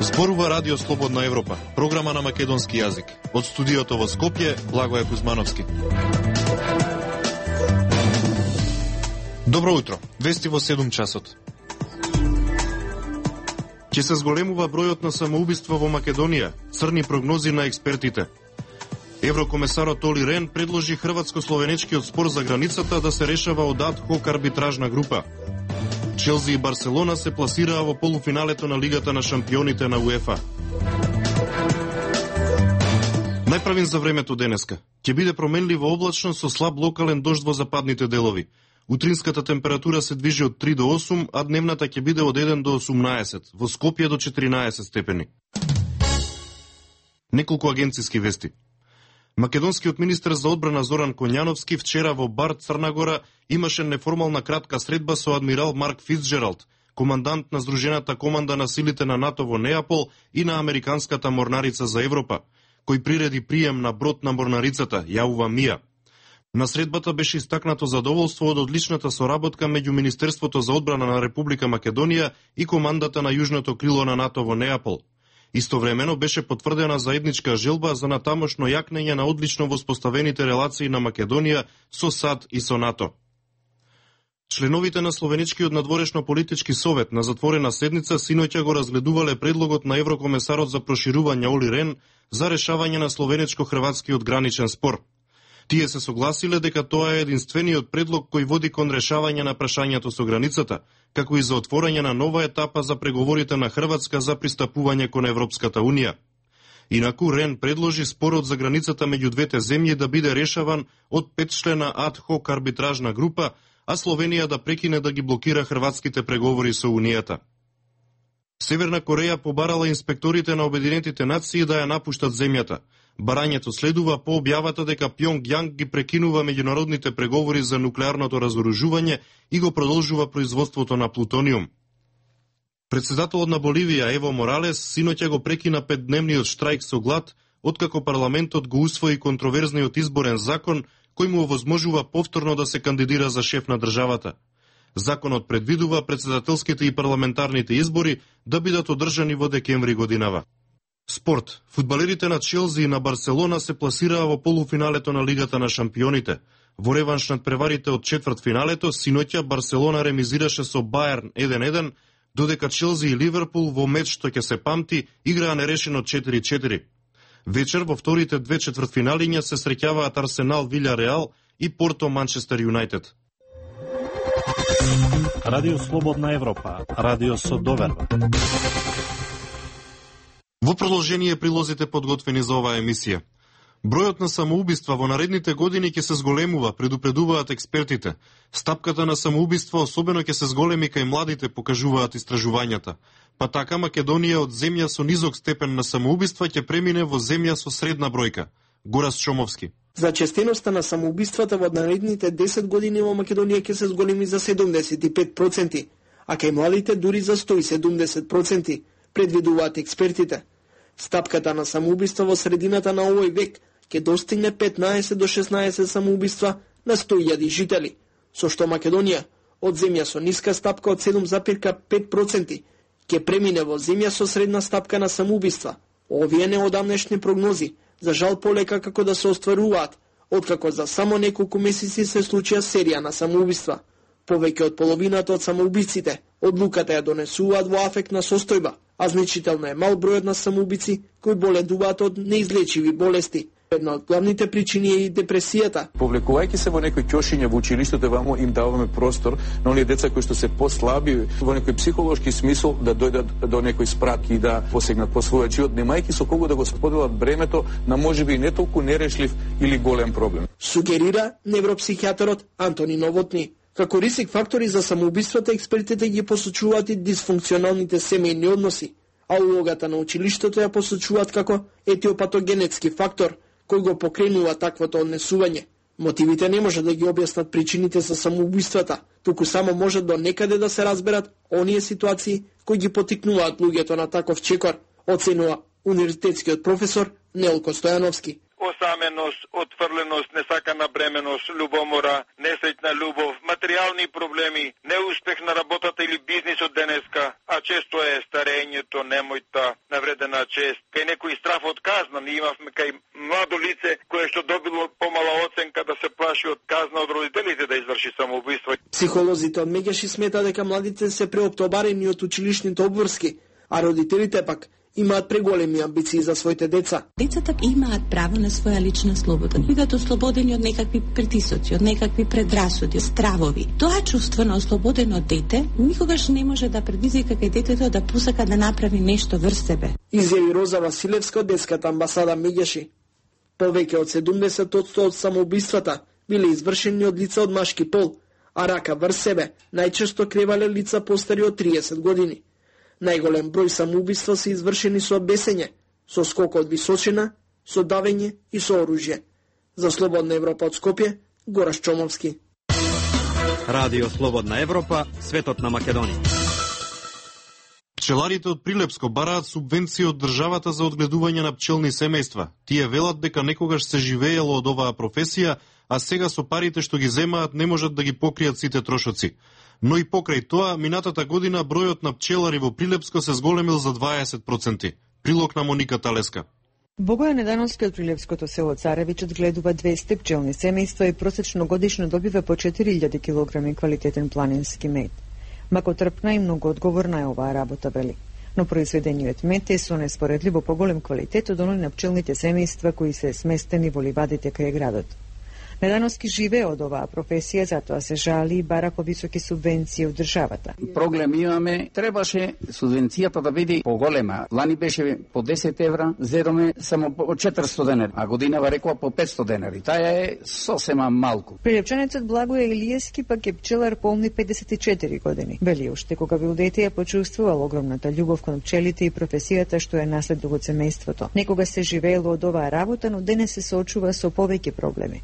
Зборува Радио Слободна Европа, програма на македонски јазик. Од студиото во Скопје, Благоје Кузмановски. Добро утро, вести во 7 часот. Ќе се зголемува бројот на самоубиства во Македонија, црни прогнози на експертите. Еврокомесарот Оли Рен предложи хрватско-словенечкиот спор за границата да се решава од ад хок арбитражна група. Челси и Барселона се пласираа во полуфиналето на Лигата на шампионите на УЕФА. Најправен за времето денеска. Ќе биде променливо облачно со слаб локален дожд во западните делови. Утринската температура се движи од 3 до 8, а дневната ќе биде од 1 до 18, во Скопје до 14 степени. Неколку агенциски вести. Македонскиот министер за одбрана Зоран Коњановски вчера во Бар, Црна Гора, имаше неформална кратка средба со адмирал Марк Фицджералд, командант на Здружената команда на силите на НАТО во Неапол и на Американската морнарица за Европа, кој приреди прием на брод на морнарицата, Јаува Мија. На средбата беше истакнато задоволство од одличната соработка меѓу Министерството за одбрана на Република Македонија и командата на Јужното крило на НАТО во Неапол. Истовремено беше потврдена заедничка желба за натамошно јакнење на одлично воспоставените релации на Македонија со САД и со НАТО. Членовите на Словеничкиот надворешно политички совет на затворена седница синоќа го разгледувале предлогот на Еврокомесарот за проширување Оли Рен за решавање на словеничко-хрватскиот граничен спор. Тие се согласиле дека тоа е единствениот предлог кој води кон решавање на прашањето со границата, како и за отворање на нова етапа за преговорите на Хрватска за пристапување кон Европската Унија. Инаку Рен предложи спорот за границата меѓу двете земји да биде решаван од 5-члена ад хок арбитражна група, а Словенија да прекине да ги блокира хрватските преговори со Унијата. Северна Кореја побарала инспекторите на Обединетите нации да ја напуштат земјата. Барањето следува по објавата дека Пјонгјанг ги прекинува меѓународните преговори за нуклеарното разоружување и го продолжува производството на плутониум. Председателот на Боливија Ево Моралес синоќа го прекина 5-дневниот штрајк со глад, откако парламентот го усвои контроверзниот изборен закон кој му овозможува повторно да се кандидира за шеф на државата. Законот предвидува председателските и парламентарните избори да бидат одржани во декември годинава. Спорт. Фудбалерите на Челси и на Барселона се пласираа во полуфиналето на Лигата на шампионите. Во реванш над преварите од четвртфиналето, синоќа Барселона ремизираше со Баерн 1-1, додека Челси и Ливерпул во меч што ќе се памти играа нерешено 4-4. Вечер во вторите две четвртфиналиња се среќаваат Арсенал Вилјареал и Порто Манчестер Юнајтед. Радио Слободна Европа, радио со доверба. Во продолжение прилозите подготвени за оваа емисија. Бројот на самоубиства во наредните години ќе се зголемува, предупредуваат експертите. Стапката на самоубиства особено ќе се зголеми кај младите, покажуваат истражувањата. Па така Македонија од земја со низок степен на самоубиства ќе премине во земја со средна бројка. Горас Чомовски. Зачестеноста на самоубиствата во наредните 10 години во Македонија ќе се зголеми за 75%, а кај младите дури за 170%, предвидуваат експертите. Стапката на самоубиства во средината на овој век ќе достигне 15 до 16 самоубиства на 100.000 жители, со што Македонија од земја со ниска стапка од 7,5% ќе премине во земја со средна стапка на самоубиства. Овие неодамнешни прогнози за жал полека како да се остваруваат, откако за само неколку месеци се случија серија на самоубиства. Повеќе од половината од самоубиците одлуката ја донесуваат во афектна состојба, а значително е мал бројот на самоубици кои боледуваат од неизлечиви болести. Една од главните причини е и депресијата. Повлекувајќи се во некои ќошиња во училиштето, вамо им даваме простор на оние деца кои што се послаби во некој психолошки смисол да дојдат до некој спрак и да посегнат по својот живот, немајќи со кого да го споделат бремето на можеби и не толку нерешлив или голем проблем. Сугерира невропсихијаторот Антони Новотни. Како риск фактори за самоубиствата, експертите ги посочуваат и дисфункционалните семејни односи, а улогата на училиштето ја посочуваат како етиопатогенетски фактор, кој го покренува таквото однесување. Мотивите не може да ги објаснат причините за самоубиствата, туку само може до некаде да се разберат оние ситуации кои ги потикнуваат луѓето на таков чекор, оценува универзитетскиот професор Нелко Стојановски. осаменост, отфрленост, несакана бременост, љубомора, несреќна љубов, материјални проблеми, неуспех на работата или бизнисот денеска, а често е старењето, немојта, навредена чест, кај некој страф од казна. Ние имавме кај младо лице кое што добило помала оценка да се плаши од казна од родителите да изврши самоубиство. Психолозите од Мегеши смета дека младите се преоптобарени од училишните обврски, а родителите пак имаат преголеми амбиции за своите деца. Децата имаат право на своја лична слобода. Бидат ослободени од некакви притисоци, од некакви предрасуди, стравови. Тоа чувство на ослободено дете никогаш не може да предизвика кај детето да посака да направи нешто врз себе. Изјави Роза Василевска од детската амбасада Мегеши. Повеќе од 70% од самоубиствата биле извршени од лица од машки пол, а рака врз себе најчесто кревале лица постари од 30 години. Најголем број самоубиства се извршени со бесење, со скок од височина, со давење и со оружје. За Слободна Европа од Скопје, Гораш Чомовски. Радио Слободна Европа, светот на Македонија. Пчеларите од Прилепско бараат субвенции од државата за одгледување на пчелни семејства. Тие велат дека некогаш се живеело од оваа професија, а сега со парите што ги земаат не можат да ги покријат сите трошоци. Но и покрај тоа, минатата година бројот на пчелари во Прилепско се зголемил за 20%. Прилог на Моника Талеска. Богојан Недановски од Прилепското село Царевич одгледува 200 пчелни семејства и просечно годишно добива по 4000 килограми квалитетен планински мед. Макотрпна и многу одговорна е оваа работа, вели. Но произведениот мед е со неспоредливо поголем квалитет од оној на пчелните семејства кои се сместени во ливадите кај градот. Недановски живее од оваа професија, затоа се жали и бара повисоки субвенции од државата. Проблем имаме, требаше субвенцијата да биде поголема. Лани беше по 10 евра, зедоме само по 400 денари, а годинава рекла по 500 денари. Таја е сосема малку. Прилепчанецот Благој Илиевски пак е пчелар полни 54 години. Вели уште кога бил дете ја почувствувал огромната љубов кон пчелите и професијата што е наследува од семејството. Некога се живеело од оваа работа, но денес се соочува со повеќе проблеми.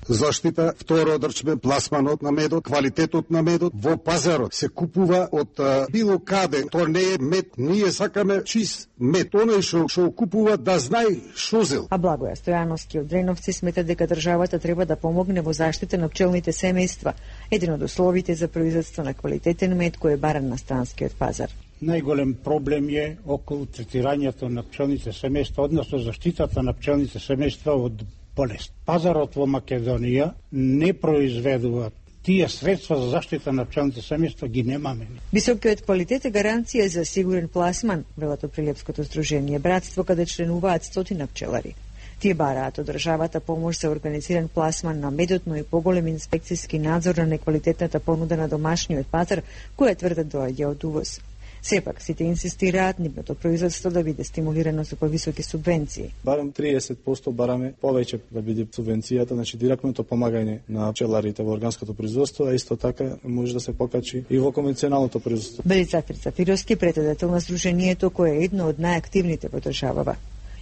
Второ одрчме пласманот на медот, квалитетот на медот во пазарот се купува од било каде. Тоа не е мед, ние сакаме чист мед. Оној што купува да знае што зел. А Благоја Стојановски од Дреновци смета дека државата треба да помогне во заштита на пчелните семејства, еден од условите за производство на квалитетен мед кој е баран на странскиот пазар. Најголем проблем е околу третирањето на пчелните семејства, односно заштитата на пчелните семејства од болест. Пазарот во Македонија не произведува тие средства за заштита на пчелните семејства, ги немаме. Високиот квалитет е гаранција за сигурен пласман, велат од Прилепското здружение Братство, каде членуваат 100 пчелари. Тие бараат од државата помош за организиран пласман на медот, но и поголем инспекцијски надзор на неквалитетната понуда на домашниот пазар, која тврдат доаѓа од увоз. Сепак, сите инсистираат нивното производство да биде стимулирано со повисоки субвенции. Барем 30% бараме повеќе да биде субвенцијата, значи директното помагање на пчеларите во органското производство, а исто така може да се покачи и во конвенционалното производство. Вели Зафир Зафировски, председател на здруженијето кој е едно од најактивните во државава.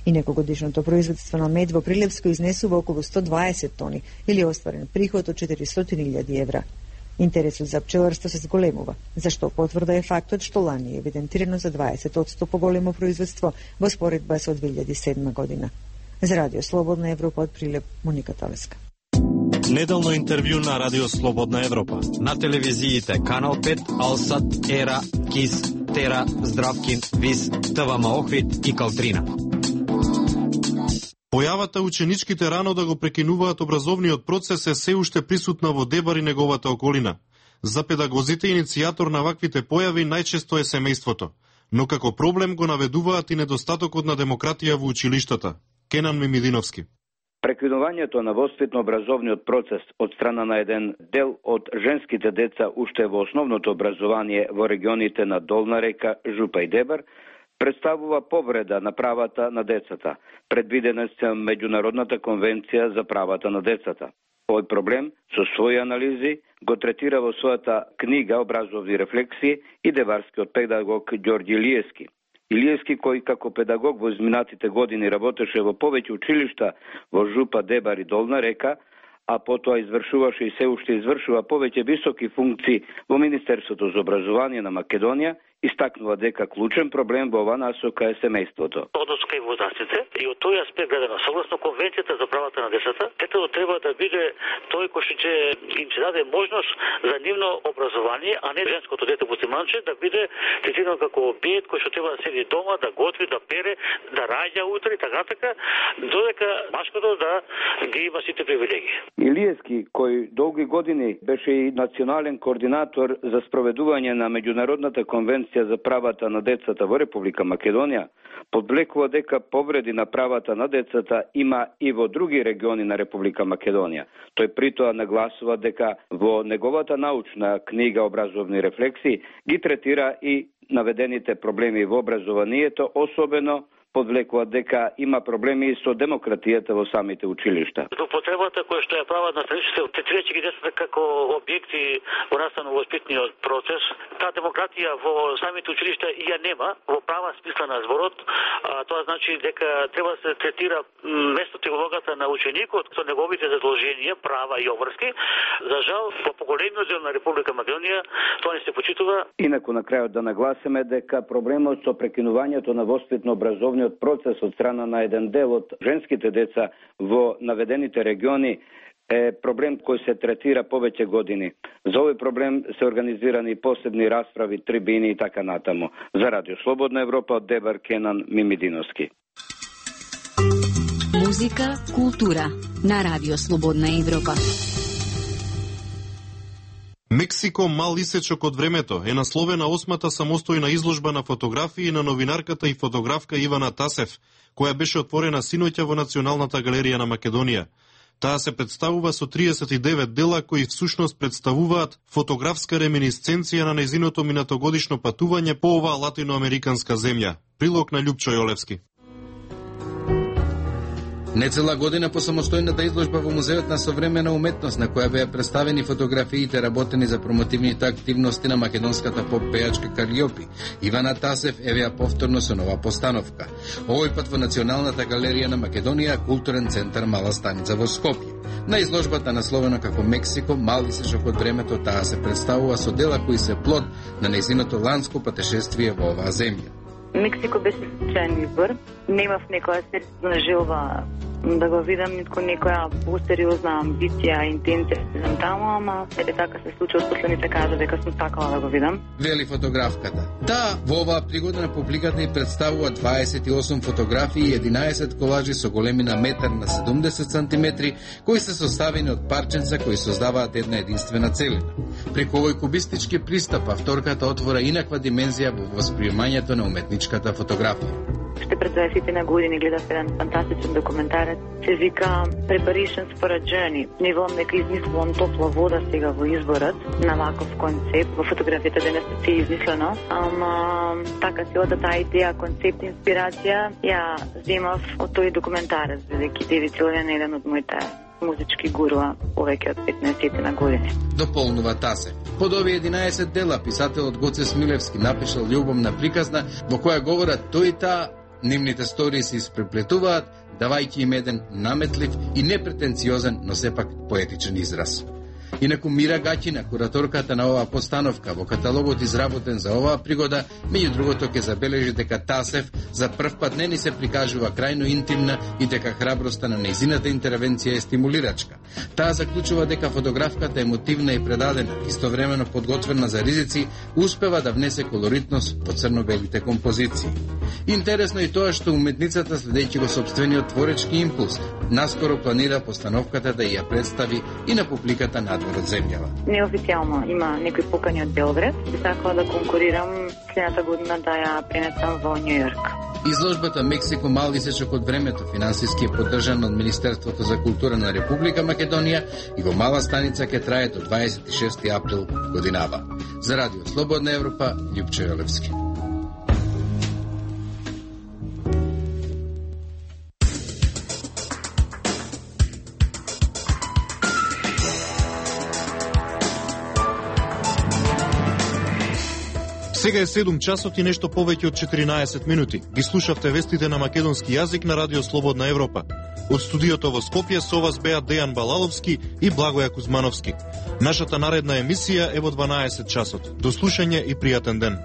Инекогодишното производство на мед во Прилепско изнесува околу 120 тони или остварен приход од 400.000 евра. Интересот за пчеларство се зголемува, зашто потврда е фактот што лани е евидентирано за 20% поголемо производство во споредба со 2007 година. За Радио Слободна Европа од Прилеп, Моника Талеска. Неделно интервју на Радио Слободна Европа. На телевизиите Канал 5, Алсат, Ера, Кис, Тера, Здравкин, Вис, ТВМ Охрид и Калтрина. Појавата ученичките рано да го прекинуваат образовниот процес е се уште присутна во Дебар и неговата околина. За педагозите иницијатор на ваквите појави најчесто е семејството, но како проблем го наведуваат и недостатокот на демократија во училиштата. Кенан Мимидиновски. Прекинувањето на воспитно-образовниот процес од страна на еден дел од женските деца уште во основното образование во регионите на Долна река, Жупа и Дебар представува повреда на правата на децата, предвидена со Меѓународната конвенција за правата на децата. Овој проблем со своји анализи го третира во својата книга Образовни рефлексии и деварскиот педагог Ѓорѓи Илиевски. Илиевски, кој како педагог во изминатите години работеше во повеќе училишта во Жупа, Дебар и Долна река, а потоа извршуваше и се уште извршува повеќе високи функции во Министерството за образование на Македонија, Истакнува дека клучен проблем во оваа насока е семејството. Однос кај возрастните и од тој аспект гледано, согласно Конвенцијата за правата на децата, детето треба да биде тој кој ќе им се даде можност за нивно образование, а не женското дете муслиманче да биде третирано како објект кој што треба да седи дома, да готви, да пере, да раѓа утре и така, додека машкото да ги има сите привилегии. Илиевски, кој долги години беше и национален координатор за спроведување на меѓународната конвенција за правата на децата во Република Македонија, подвлекува дека повреди на правата на децата има и во други региони на Република Македонија. Тој притоа нагласува дека во неговата научна книга Образовни рефлексии ги третира и наведените проблеми во образованието, особено подвлекува дека има проблеми со демократијата во самите училишта. Потребата која што ја прават наставниците, третирајќи ги децата како објекти во наставно-воспитниот процес, таа демократија во самите училишта ја нема во права смисла на зборот. Тоа значи дека треба да се третира местото и улогата на ученикот со неговите задолженија, права и обврски. За жал, во поголемиот дел на Република Македонија тоа не се почитува. Инаку на крајот да нагласиме дека проблемот со прекинувањето на воспитно-образовниот процес од страна на еден дел од женските деца во наведените региони е проблем кој се третира повеќе години. За овој проблем се организирани посебни расправи, трибини и така натаму. За Радио Слободна Европа од Дебар Кенан Мимидиновски. Музика, култура на Радио Слободна Европа. Мексико, мал исечок од времето е насловена 8-та самостојна изложба на фотографии на новинарката и фотографка Ивана Тасев, која беше отворена синоќа во Националната галерија на Македонија. Таа се представува со 39 дела кои всушност представуваат фотографска реминисценција на нејзиното минатогодишно патување по оваа латиноамериканска земја. Прилог на Љупчо Јолевски. Нецела година по самостојната изложба во Музеот на современа уметност, на која беа представени фотографиите работени за промотивните активности на македонската поп-пејачка Калиопи, Ивана Тасев евеа повторно со нова постановка. Овој пат во Националната галерија на Македонија, културен центар Мала Станица во Скопје. На изложбата насловена како Мексико, мал исечок од времето, таа се представува со дела кои се плод на нејзиното ланско патешествие во оваа земја. Мексико беше случаен избор. Немав некоја сериозна желба да го видам, нитко некоја посериозна амбиција, интенција таму, ама ете така се случи, од последните кажа дека сум сакала да го видам. Вели фотографката. Таа во оваа пригода на публиката и представува 28 фотографии и 11 колажи со големина метар на 70 сантиметри, кои се составени од парченца кои создаваат една единствена целина. Преку овој кубистички пристап, авторката отвора инаква димензија во восприемањето на уметничката фотографија. Уште пред 20 години гледав еден фантастичен документарец, се вика Preparations for a Journey. Не волам дека измислувам топла вода сега во изборот на ваков концепт. Во фотографијата денес се измислено, ама така се ода таа идеја, концепт, инспирација, ја земав од тој документарец, бидејќи Девид Силвен е еден од моите музички гуруа повеќе од 15 години. Дополнува Тасе. Под овие 11 дела писателот Гоце Смилевски напишал љубовна приказна во која говорат тој и таа. Нивните стории се испреплетуваат, давајќи им еден наметлив и непретенциозен, но сепак поетичен израз. Инаку Мира Гаќина, кураторката на оваа постановка, во каталогот изработен за оваа пригода, меѓу другото ќе забележи дека Тасев за прв пат не ни се прикажува крајно интимна и дека храброста на нејзината интервенција е стимулирачка. Таа заклучува дека фотографката емотивна и предадена, истовремено подготвена за ризици, успева да внесе колоритност во црно-белите композиции. Интересно и тоа што уметницата, следејќи го сопствениот творечки импулс, наскоро планира постановката да ја представи и на публиката надвор од земјава. Неофицијално има некои покани од Белград, би сакала да конкурирам следната година да ја пренесам во Њу Јорк. Изложбата Мексико, мал исечок од времето, финансиски е поддржана од Министерството за култура на Република Македонија и во Мала Станица ќе трае до 26 април годинава. За Радио Слободна Европа, Љупчо Јолевски. Сега е 7 часот и нешто повеќе од 14 минути. Ги слушавте вестите на македонски јазик на Радио Слободна Европа. Од студиото во Скопје со вас беа Дејан Балаловски и Благоја Кузмановски. Нашата наредна емисија е во 12 часот. До слушање и пријатен ден.